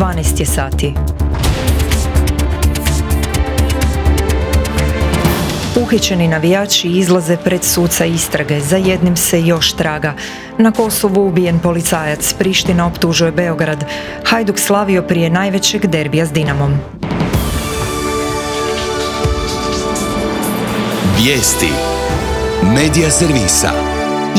12 je sati. Uhićeni navijači izlaze pred suca istrage, za jednim se još traga. Na Kosovu ubijen policajac, Priština optužuje Beograd. Hajduk slavio prije najvećeg derbija s Dinamom. Vijesti Medija servisa.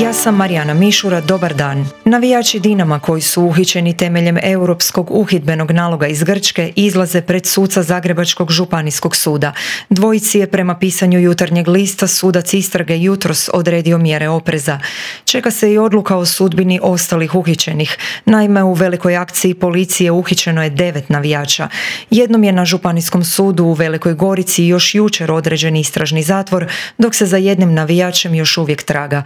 Ja sam Marijana Mišura, dobar dan. Navijači Dinama koji su uhićeni temeljem Europskog uhidbenog naloga iz Grčke izlaze pred suca Zagrebačkog županijskog suda. Dvojici je prema pisanju Jutarnjeg lista sudac istrage jutros odredio mjere opreza. Čeka se i odluka o sudbini ostalih uhićenih. Naime, u velikoj akciji policije uhićeno je 9 navijača. Jednom je na Županijskom sudu u Velikoj Gorici još jučer određen istražni zatvor, dok se za jednim navijačem još uvijek traga.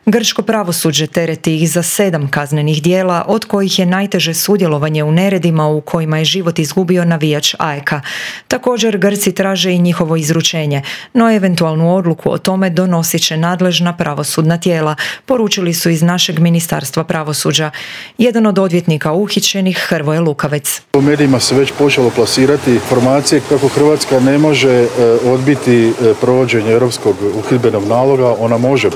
Grčko pravosuđe tereti ih za 7 kaznenih djela, od kojih je najteže sudjelovanje u neredima u kojima je život izgubio navijač AEK-a. Također Grci traže i njihovo izručenje, no eventualnu odluku o tome donosit će nadležna pravosudna tijela, poručili su iz našeg Ministarstva pravosuđa. Jedan od odvjetnika uhićenih, Hrvoje Lukavec. U medijima se već počelo plasirati informacije kako Hrvatska ne može odbiti provođenje Europskog uhidbenog naloga. Ona može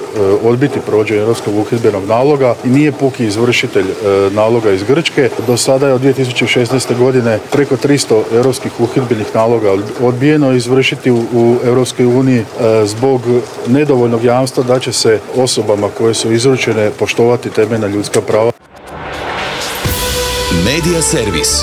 odbiti provođenje Europskog uhidbenog naloga i nije puki izvršitelj naloga iz Grčke. Do sada je od 2016. godine preko 300 europskih uhidbenih naloga odbijeno izvršiti u Europskoj uniji zbog nedovoljnog jamstva da će se osobama koje su izručene poštovati temeljna ljudska prava. Medija servis.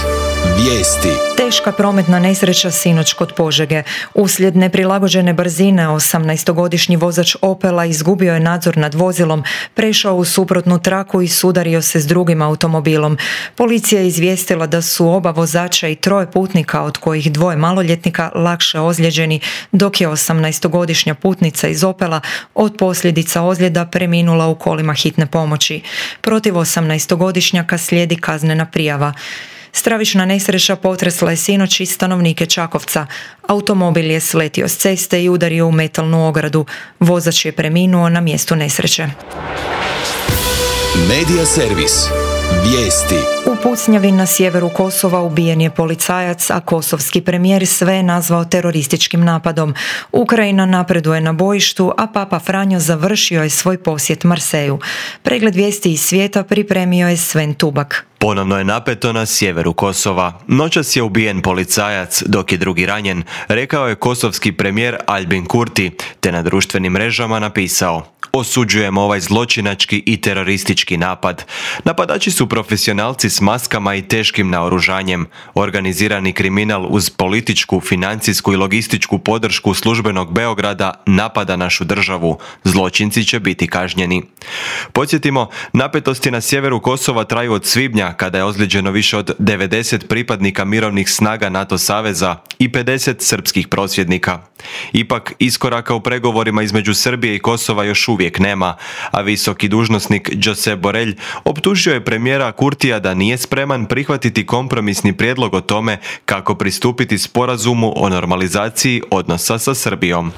Vijesti. Teška prometna nesreća sinoć kod Požege. Uslijed neprilagođene brzine 18-godišnji vozač Opela izgubio je nadzor nad vozilom, prešao u suprotnu traku i sudario se s drugim automobilom. Policija je izvijestila da su oba vozača i 3 putnika, od kojih 2 maloljetnika, lakše ozlijeđeni, dok je 18-godišnja putnica iz Opela od posljedica ozljeda preminula u kolima hitne pomoći. Protiv 18-godišnjaka slijedi kaznena prijava. Stravična nesreća potresla je sinoć i stanovnike Čakovca. Automobil je sletio s ceste i udario u metalnu ogradu. Vozač je preminuo na mjestu nesreće. Medija servis. Vijesti. U pucnjavi na sjeveru Kosova ubijen je policajac, a kosovski premijer sve je nazvao terorističkim napadom. Ukrajina napreduje na bojištu, a Papa Franjo završio je svoj posjet Marseju. Pregled vijesti iz svijeta pripremio je Sven Tubak. Ponovno je napeto na sjeveru Kosova. Noćas je ubijen policajac, dok je drugi ranjen, rekao je kosovski premijer Albin Kurti, te na društvenim mrežama napisao: osuđujemo ovaj zločinački i teroristički napad. Napadači su profesionalci s maskama i teškim naoružanjem. Organizirani kriminal uz političku, financijsku i logističku podršku službenog Beograda napada našu državu. Zločinci će biti kažnjeni. Podsjetimo, napetosti na sjeveru Kosova traju od svibnja, kada je ozlijeđeno više od 90 pripadnika mirovnih snaga NATO saveza i 50 srpskih prosvjednika. Ipak, iskoraka u pregovorima između Srbije i Kosova još uvijek nema, a visoki dužnosnik Josep Borrell optužio je premijera Kurtija da nije spreman prihvatiti kompromisni prijedlog o tome kako pristupiti sporazumu o normalizaciji odnosa sa Srbijom.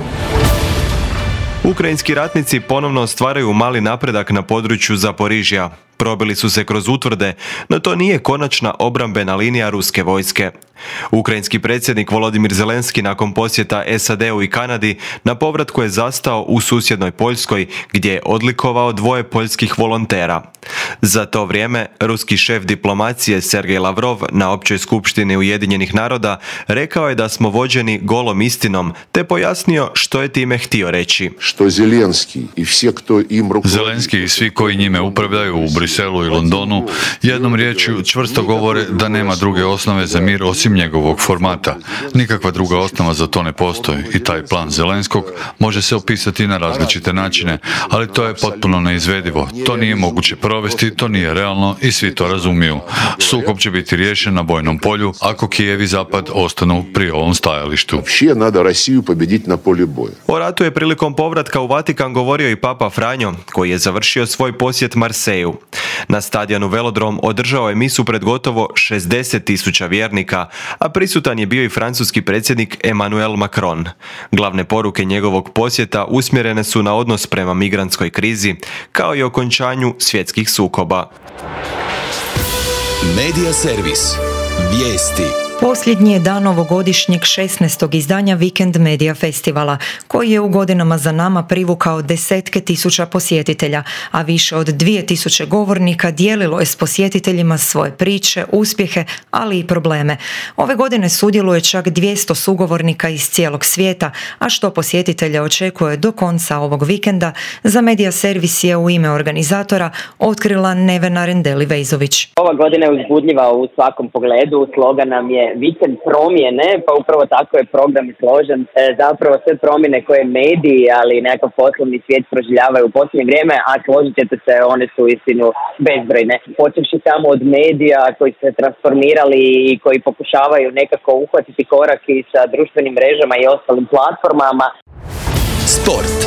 Ukrajinski ratnici ponovno ostvaraju mali napredak na području Zaporižja. Probili su se kroz utvrde, no to nije konačna obrambena linija ruske vojske. Ukrajinski predsjednik Volodimir Zelenski nakon posjeta SAD-u i Kanadi na povratku je zastao u susjednoj Poljskoj, gdje je odlikovao 2 poljskih volontera. Za to vrijeme, ruski šef diplomacije Sergej Lavrov na Općoj skupštini Ujedinjenih naroda rekao je da smo vođeni golom istinom, te pojasnio što je time htio reći. Zelenski i svi koji njime upravljaju u Briselu i Londonu jednom riječju čvrsto govore da nema druge osnove za mir osim njegovog formata. Nikakva druga osnova za to ne postoji i taj plan Zelenskog može se opisati na različite načine, ali to je potpuno neizvedivo. To nije moguće provesti, to nije realno i svi to razumiju. Sukob će biti riješen na bojnom polju ako Kijev i Zapad ostanu pri ovom stajalištu. O ratu je prilikom povratka u Vatikan govorio i Papa Franjo, koji je završio svoj posjet Marseju. Na stadionu Velodrom održao je misu pred gotovo 60.000 vjernika, a prisutan je bio i francuski predsjednik Emmanuel Macron. Glavne poruke njegovog posjeta usmjerene su na odnos prema migrantskoj krizi, kao i okončanju svjetskih sukoba. Medija servis. Vijesti. Posljednji je dan ovogodišnjeg 16. izdanja Vikend Media Festivala, koji je u godinama za nama privukao desetke tisuća posjetitelja, a više od 2000 govornika dijelilo je s posjetiteljima svoje priče, uspjehe, ali i probleme. Ove godine sudjeluje čak 200 sugovornika iz cijelog svijeta, a što posjetitelja očekuje do konca ovog vikenda, za Media Servis je u ime organizatora otkrila Nevena Rendeli-Vejzović. Ova godina je uzbudljiva u svakom pogledu, slogan nam je vikend promjene, pa upravo tako je program složen. Zapravo sve promjene koje mediji, ali nekakav poslovni svijet proživljavaju u posljednje vrijeme, a složit ćete se, one su istinu bezbrojne. Počevši samo od medija koji se transformirali i koji pokušavaju nekako uhvatiti korak i sa društvenim mrežama i ostalim platformama. Sport.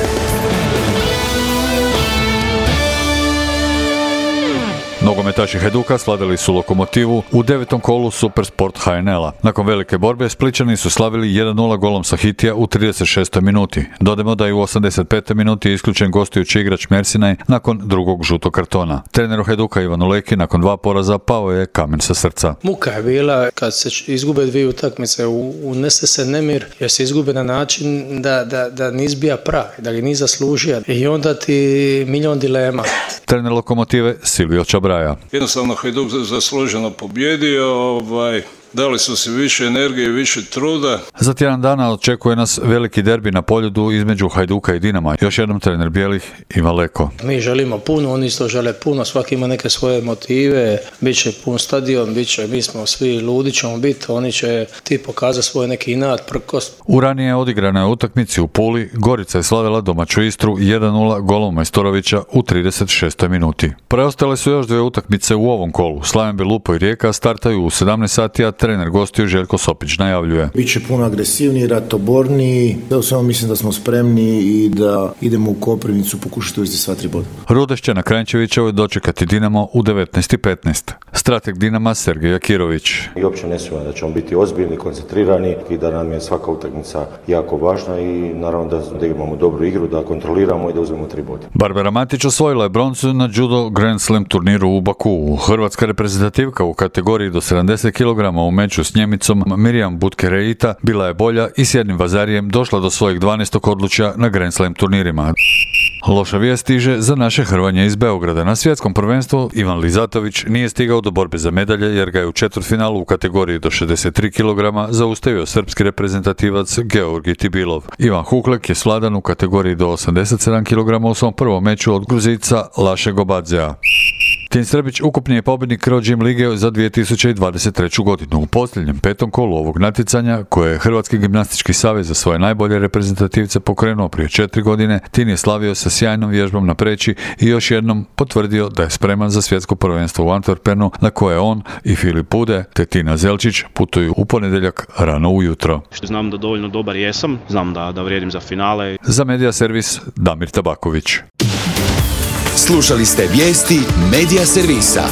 Nogometaši Hajduka slavili su Lokomotivu u 9. kolu Supersport HNL-a. Nakon velike borbe Splićani su slavili 1-0 golom Sahitija u 36. minuti. Dodajmo da je u 85. minuti isključen gostujući igrač Mersinaj nakon drugog žutog kartona. Treneru Hajduka Ivanu Leki nakon 2 poraza pao je kamen sa srca. Muka je bila kad se izgube 2 utakmice, unese se nemir jer se izgube na način da nis bija pravi, da ga nis zaslužio i onda ti milion dilema. Trener Lokomotive Silvio Čabraja. Jednostavno Hajduk zasluženo pobjedio, dali su se više energije i više truda. Za tjedan dana očekuje nas veliki derbi na Poljudu između Hajduka i Dinama. Još jednom trener bijelih Ivan Leko. Mi želimo puno, oni isto žele puno, svaki ima neke svoje motive, bit će pun stadion, mi smo svi ludi ćemo biti, oni će ti pokazati svoj neki inat, prkost. U ranije odigranoj utakmici u Puli Gorica je slavila domaću Istru 1-0 golom Majstorovića u 36. minuti. Preostale su još 2 utakmice u ovom kolu. Slaven Belupo i Rijeka startaju u 17 sati, a trener gostiju Željko Sopić najavljuje. Biće puno agresivniji, ratoborniji, da samo mislim da smo spremni i da idemo u Koprivnicu pokušati uvesti sva 3 boda. Rudeš će na Kranjčevićevoj dočekati Dinamo u 19:15. Strateg Dinama Sergej Jakirović. I uopće ne sumnjam da ćemo biti ozbiljni, koncentrirani i da nam je svaka utakmica jako važna i naravno da imamo dobru igru, da kontroliramo i da uzmemo 3 boda. Barbara Matić osvojila je broncu na judo Grand Slam turniru u Bakuu. Hrvatska reprezentativka u kategoriji do 70 kg u meču s Njemicom Mirjam Butke-Reita bila je bolja i s jednim vazarijem došla do svojeg 12. odličja na Grand Slam turnirima. Loša vijest stiže za naše Hrvanje iz Beograda. Na svjetskom prvenstvu Ivan Lizatović nije stigao do borbe za medalje jer ga je u četvrtfinalu u kategoriji do 63 kg zaustavio srpski reprezentativac Georgi Tibilov. Ivan Huklek je svladan u kategoriji do 87 kg u svom prvom meču od Gruzica Laše Gobadzea. Tin Srbić ukupni je pobjednik Pro Gym lige za 2023. godinu. U posljednjem 5. kolu ovog natjecanja, koje je Hrvatski gimnastički savez za svoje najbolje reprezentativce pokrenuo prije 4 godine, Tin je slavio sa sjajnom vježbom na preći i još jednom potvrdio da je spreman za svjetsko prvenstvo u Antwerpenu, na koje on i Filip Pude te Tina Zelčić putuju u ponedjeljak rano ujutro. Znam da dovoljno dobar jesam, znam da vrijedim za finale. Za Media Servis Damir Tabaković. Slušali ste vijesti Media Servisa.